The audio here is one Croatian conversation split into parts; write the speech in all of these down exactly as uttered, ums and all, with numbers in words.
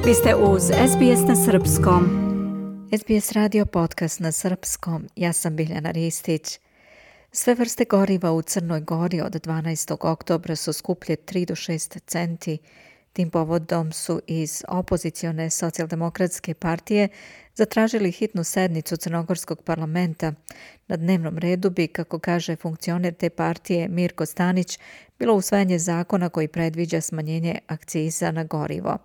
Vi ste uz S B S na srpskom. S B S radio podcast na srpskom. Ja sam Biljana Ristić. Sve vrste goriva u Crnoj Gori od dvanaestog oktobra su skuplje tri do šest centi. Tim povodom su iz opozicione socijaldemokratske partije zatražili hitnu sednicu Crnogorskog parlamenta. Na dnevnom redu bi, kako kaže funkcioner te partije Mirko Stanić, bilo usvajanje zakona koji predviđa smanjenje akciza na gorivo.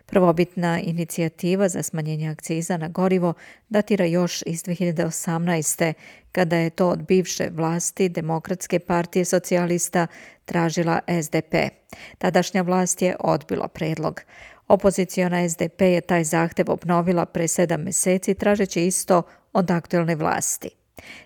Prvobitna inicijativa za smanjenje akciza na gorivo datira još iz dve hiljade osamnaeste. kada je to od bivše vlasti Demokratske partije socijalista tražila S D P. Tadašnja vlast je odbila predlog. Opoziciona S D P je taj zahtev obnovila pre sedam meseci tražeći isto od aktuelne vlasti.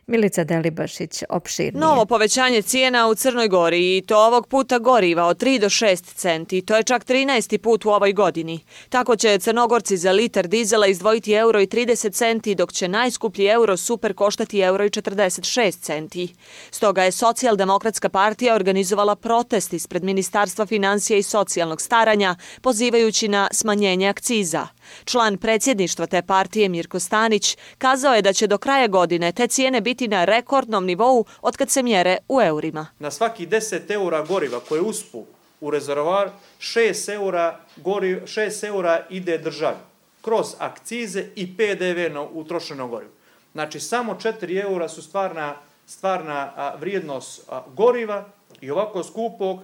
Milica Delibašić opširnije. Novo povećanje cijena u Crnoj Gori i to ovog puta goriva od tri do šest centi. To je čak trinaesti put u ovoj godini. Tako će Crnogorci za litar dizela izdvojiti euro i trideset centi, dok će najskuplji euro super koštati euro i četrdeset šest centi. Stoga je Socijaldemokratska partija organizovala protest ispred Ministarstva financija i socijalnog staranja, pozivajući na smanjenje akciza. Član predsjedništva te partije Mirko Stanić kazao je da će do kraja godine te cijene biti na rekordnom nivou otkad se mjere u eurima. Na svaki deset eura goriva koje uspu u rezervoar, šest eura, goriv, šest eura ide državi kroz akcize i P D V na utrošeno gorivo. Znači samo četiri eura su stvarna, stvarna a, vrijednost a, goriva i ovako skupog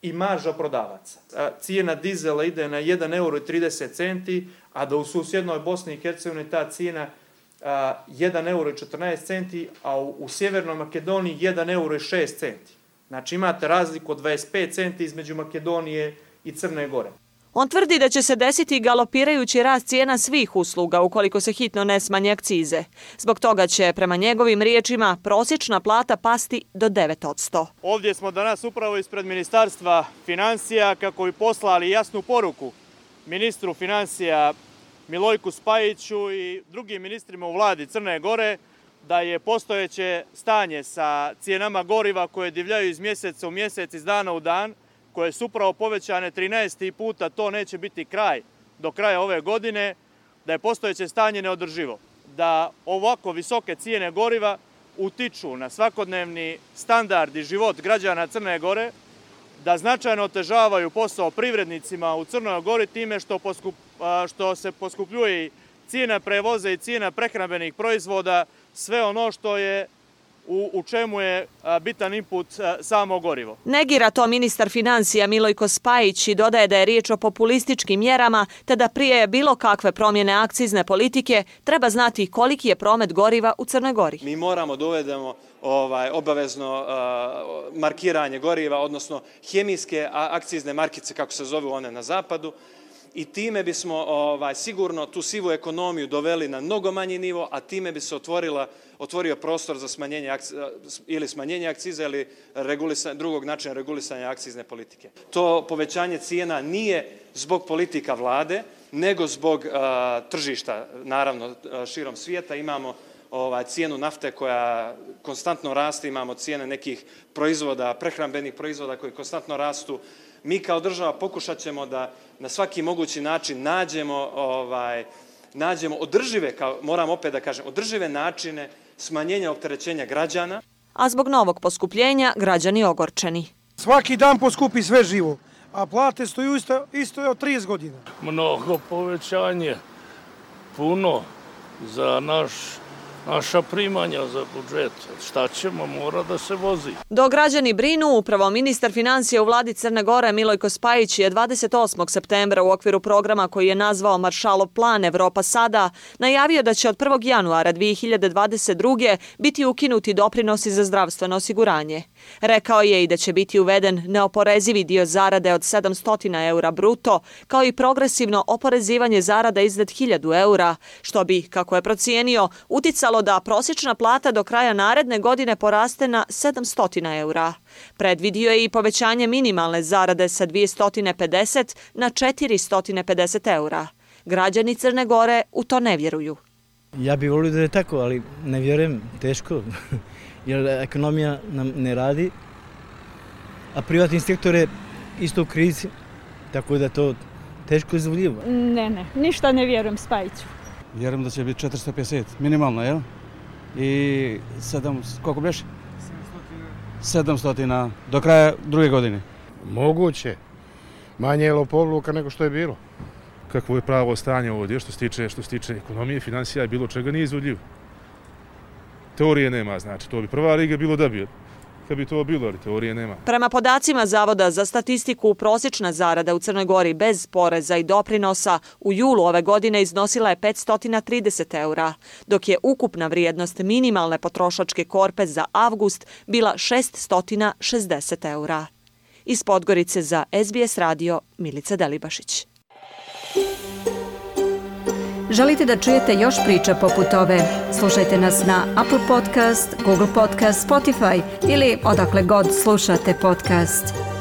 i marža prodavaca. A, cijena dizela ide na jedan euro i trideset centi, a da u susjednoj Bosni i Hercegovini ta cijena a, jedan euro i četrnaest centi, a u, u Sjevernoj Makedoniji jedan euro i šest centi. Znači imate razliku od dvadeset pet centi između Makedonije i Crne Gore. On tvrdi da će se desiti galopirajući rast cijena svih usluga ukoliko se hitno ne smanje akcize. Zbog toga će, prema njegovim riječima, prosječna plata pasti do devet posto. Ovdje smo danas upravo ispred Ministarstva financija kako bi poslali jasnu poruku ministru financija Milojku Spajiću i drugim ministrima u vladi Crne Gore da je postojeće stanje sa cijenama goriva koje divljaju iz mjeseca u mjesec, iz dana u dan, koje su upravo povećane trinaesti puta, to neće biti kraj do kraja ove godine, da je postojeće stanje neodrživo. Da ovako visoke cijene goriva utiču na svakodnevni standard i život građana Crne Gore, da značajno otežavaju posao privrednicima u Crnoj Gori time što, poskup, što se poskupljuje cijena prevoza i cijena prehrambenih proizvoda, sve ono što je U, u čemu je a, bitan input a, samo gorivo. Negira to ministar financija Milojko Spajić i dodaje da je riječ o populističkim mjerama, te da prije bilo kakve promjene akcizne politike treba znati koliki je promet goriva u Crnoj Gori. Mi moramo da uvedemo ovaj, obavezno a, markiranje goriva, odnosno hemijske akcizne markice, kako se zove one na zapadu, i time bismo ovaj, sigurno tu sivu ekonomiju doveli na mnogo manji nivo, a time bi se otvorila, otvorio prostor za smanjenje akciza, ili smanjenje akciza ili drugog načina regulisanja akcizne politike. To povećanje cijena nije zbog politika vlade, nego zbog uh, tržišta, naravno, širom svijeta. Imamo ovaj, cijenu nafte koja konstantno raste, imamo cijene nekih proizvoda, prehrambenih proizvoda koji konstantno rastu. Mi kao država pokušat ćemo da na svaki mogući način nađemo, ovaj, nađemo održive, kao, moram opet da kažem, održive načine smanjenja opterećenja građana. A zbog novog poskupljenja građani ogorčeni. Svaki dan poskupi sve živo, a plate stoju isto, isto od trideset godina. Mnogo povećanje, puno za naš naša primanja za budžet. Šta ćemo, mora da se vozi. Dok građani brinu, upravo ministar financija u vladi Crne Gore Milojko Spajić je dvadeset osmog septembra u okviru programa koji je nazvao Maršalov plan Evropa sada najavio da će od prvog januara dvije hiljade dvadeset druge biti ukinuti doprinosi za zdravstveno osiguranje. Rekao je i da će biti uveden neoporezivi dio zarade od sedamsto eura bruto, kao i progresivno oporezivanje zarada iznad hiljadu eura, što bi, kako je procijenio, uticalo da prosječna plata do kraja naredne godine poraste na sedamsto eura. Predvidio je i povećanje minimalne zarade sa dvjesto pedeset na četiristo pedeset eura. Građani Crne Gore u to ne vjeruju. Ja bih volio da je tako, ali ne vjerujem, teško, jer ekonomija nam ne radi, a privatni sektor je isto u krizi, tako da to teško izvodljivo. Ne, ne, ništa ne vjerujem Spajiću. Vjerujem da će biti četiristo pedeset, minimalno, jel? I sedam, koliko biš? sedamsto do kraja druge godine. Moguće. Manje je lopovluka nego što je bilo. Kakvo je pravo stanje ovdje što se tiče, što se tiče ekonomije, financija i bilo čega nije izvodljivo. Teorije nema, znači, to bi prva liga bilo da bi, kad bi to bilo, ali teorije nema. Prema podacima Zavoda za statistiku, prosječna zarada u Crnoj Gori bez poreza i doprinosa u julu ove godine iznosila je petsto trideset eura, dok je ukupna vrijednost minimalne potrošačke korpe za avgust bila šeststo šezdeset eura. Iz Podgorice za S B S radio Milica Delibašić. Želite da čujete još priča poput ove? Slušajte nas na Apple Podcast, Google Podcast, Spotify ili odakle god slušate podcast.